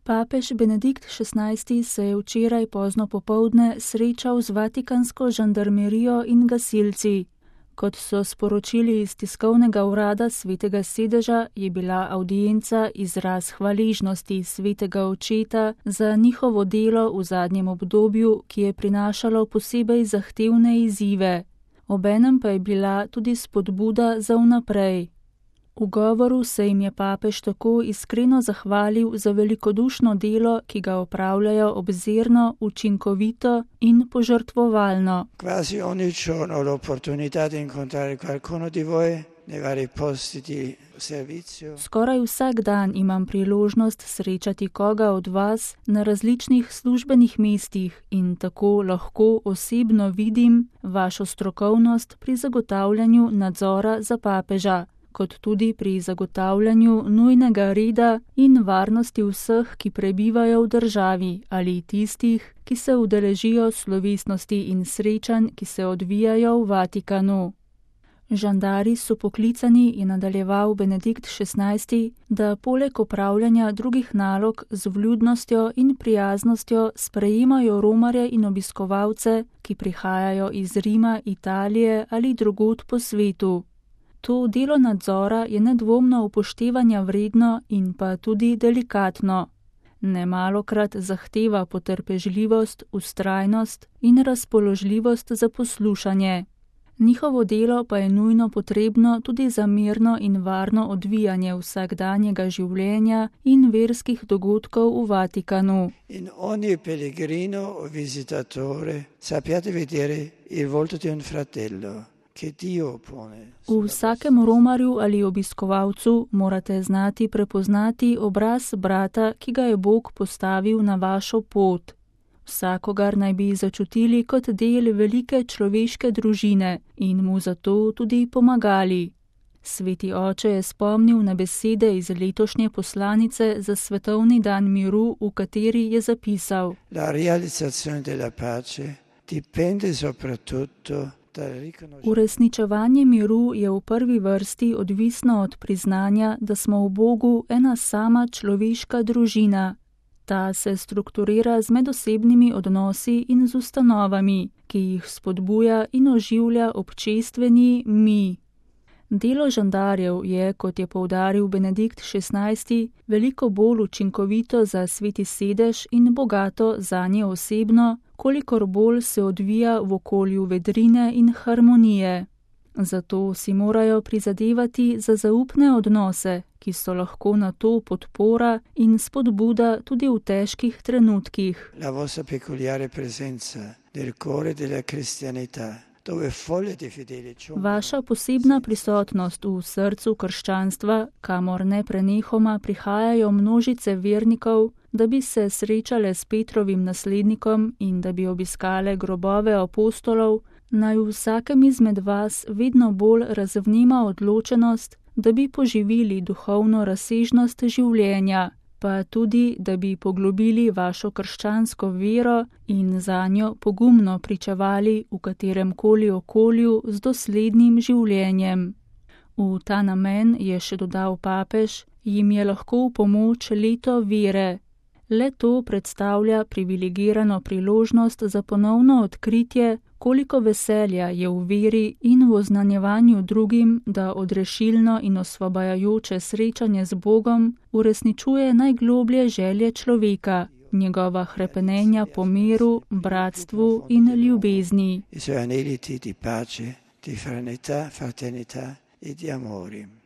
Papež Benedikt XVI. Se je včeraj pozno popoldne srečal z vatikansko žandarmerijo in gasilci. Kot so sporočili iz tiskovnega urada Svetega sedeža, je bila avdienca izraz hvaležnosti Svetega očeta za njihovo delo v zadnjem obdobju, ki je prinašalo posebej zahtevne izzive. Obenem pa je bila tudi spodbuda za vnaprej. V govoru se jim je papež tako iskreno zahvalil za velikodušno delo, ki ga opravljajo obzirno, učinkovito in požrtvovalno. Quasi ogni giorno ho l'opportunità di incontrare qualcuno di voi nei vari posti di servizio. Skoraj vsak dan imam priložnost srečati koga od vas na različnih službenih mestih in tako lahko osebno vidim vašo strokovnost pri zagotavljanju nadzora za papeža, kot tudi pri zagotavljanju nujnega reda in varnosti vseh, ki prebivajo v državi ali tistih, ki se udeležijo slovesnosti in srečanj, ki se odvijajo v Vatikanu. Žandari so poklicani, je nadaljeval Benedikt XVI., da poleg opravljanja drugih nalog z vljudnostjo in prijaznostjo sprejemajo romarje in obiskovalce, ki prihajajo iz Rima, Italije ali drugod po svetu. To delo nadzora je nedvomno upoštevanja vredno in pa tudi delikatno. Nemalokrat zahteva potrpežljivost, vztrajnost in razpoložljivost za poslušanje. Njihovo delo pa je nujno potrebno tudi za mirno in varno odvijanje vsakdanjega življenja in verskih dogodkov v Vatikanu. In ogni pellegrino o visitatore sappiate vedere il volto di un fratello. V vsakem romarju ali obiskovalcu morate znati prepoznati obraz brata, ki ga je Bog postavil na vašo pot. Vsakogar naj bi začutili kot del velike človeške družine in mu zato tudi pomagali. Sveti oče je spomnil na besede iz letošnje poslanice za Svetovni dan miru, v kateri je zapisal: La realizzazione della pace dipende soprattutto. Uresničevanje miru je v prvi vrsti odvisno od priznanja, da smo v Bogu ena sama človeška družina. Ta se strukturira z medosebnimi odnosi in z ustanovami, ki jih spodbuja in oživlja občestveni mi. Delo žandarjev je, kot je poudaril Benedikt XVI., veliko bolj učinkovito za Sveti sedež in bogato zanje osebno, kolikor bolj se odvija v okolju vedrine in harmonije. Zato si morajo prizadevati za zaupne odnose, ki so lahko na to podpora in spodbuda tudi v težkih trenutkih. La vostra peculiare presenza nel cuore della cristianità. Vaša posebna prisotnost v srcu krščanstva, kamor neprenehoma prihajajo množice vernikov, da bi se srečale s Petrovim naslednikom in da bi obiskale grobove apostolov, naj v vsakem izmed vas vedno bolj razvnema odločenost, da bi poživili duhovno razsežnost življenja, pa tudi, da bi poglobili vašo krščansko vero in zanjo pogumno pričevali v kateremkoli okolju z doslednim življenjem. V ta namen, je še dodal papež, jim je lahko v pomoč leto vere. Le to predstavlja privilegirano priložnost za ponovno odkritje, koliko veselja je v veri in v oznanjevanju drugim, da odrešilno in osvobajajoče srečanje z Bogom uresničuje najgloblje želje človeka, njegova hrepenenja po miru, bratstvu in ljubezni. I suoi aneliti di pace, di fraternità e di amore.